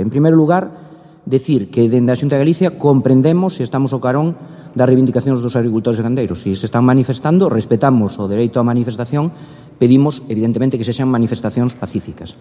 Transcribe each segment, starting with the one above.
En primeiro lugar, decir que dende a Xunta de Galicia comprendemos e estamos ao carón das reivindicacións dos agricultores e gandeiros. Se están manifestando, respetamos o dereito á manifestación, pedimos, evidentemente, que sexan manifestacións pacíficas.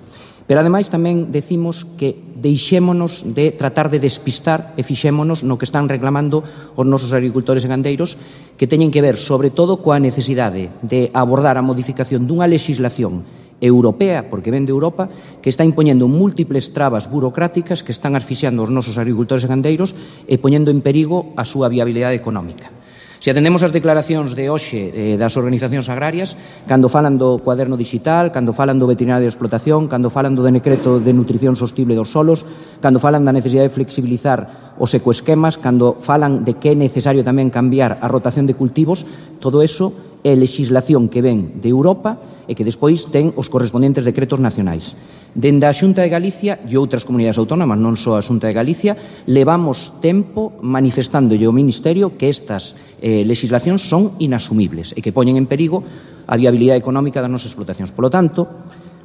Pero, ademais, tamén decimos que deixémonos de tratar de despistar e fixémonos no que están reclamando os nosos agricultores e gandeiros, que teñen que ver, sobre todo, coa necesidade de abordar a modificación dunha legislación europea, porque ven de Europa, que está impoñendo múltiples trabas burocráticas que están asfixiando os nosos agricultores e gandeiros e poñendo en perigo a súa viabilidade económica. Se atendemos as declaracións de hoxe das organizacións agrarias, cando falan do cuaderno digital, cando falan do veterinario de explotación, cando falan do decreto de nutrición sostible dos solos, cando falan da necesidade de flexibilizar os ecoesquemas, cando falan de que é necesario tamén cambiar a rotación de cultivos, todo eso é legislación que ven de Europa e que despois ten os correspondentes decretos nacionais. Dende a Xunta de Galicia e outras comunidades autónomas, non só a Xunta de Galicia, levamos tempo manifestándolle ao Ministerio que estas legislacións son inasumibles e que poñen en perigo a viabilidade económica das nosas explotacións. Polo tanto,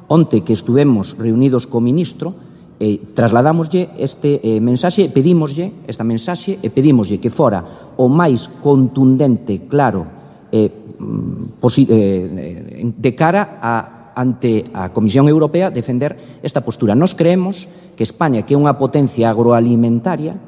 onte que estuvemos reunidos co Ministro, trasladámoslle este mensaxe, pedímoslle esta mensaxe e pedímoslle que fora o máis contundente, claro, de cara ante a Comisión Europea defender esta postura. Nós creemos que España, que é unha potencia agroalimentaria,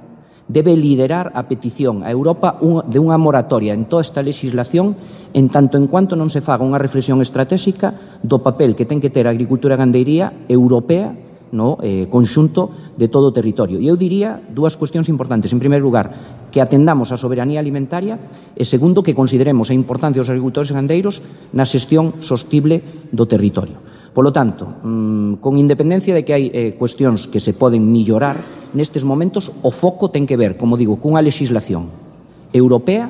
debe liderar a petición a Europa de unha moratoria en toda esta legislación en tanto en cuanto non se faga unha reflexión estratégica do papel que ten que ter a agricultura e gandería europea no conxunto de todo o territorio. E eu diría dúas cuestións importantes. En primeiro lugar, que atendamos a soberanía alimentaria e, segundo, que consideremos a importancia dos agricultores e gandeiros na xestión sostible do territorio. Polo tanto, con independencia de que hai cuestións que se poden mellorar, nestes momentos o foco ten que ver, como digo, cunha legislación europea,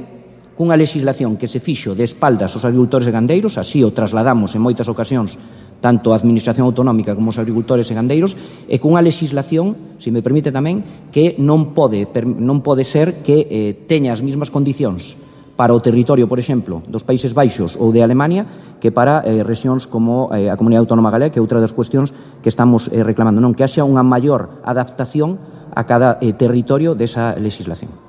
cunha legislación que se fixo de espaldas aos agricultores e gandeiros, así o trasladamos en moitas ocasións tanto a Administración Autonómica como os agricultores e gandeiros, e cunha legislación, se me permite tamén, que non pode ser que teña as mesmas condicións para o territorio, por exemplo, dos Países Baixos ou de Alemania, que para rexións como a Comunidade Autónoma Galega, que é outra das cuestións que estamos reclamando, non, que haxa unha maior adaptación a cada territorio desa legislación.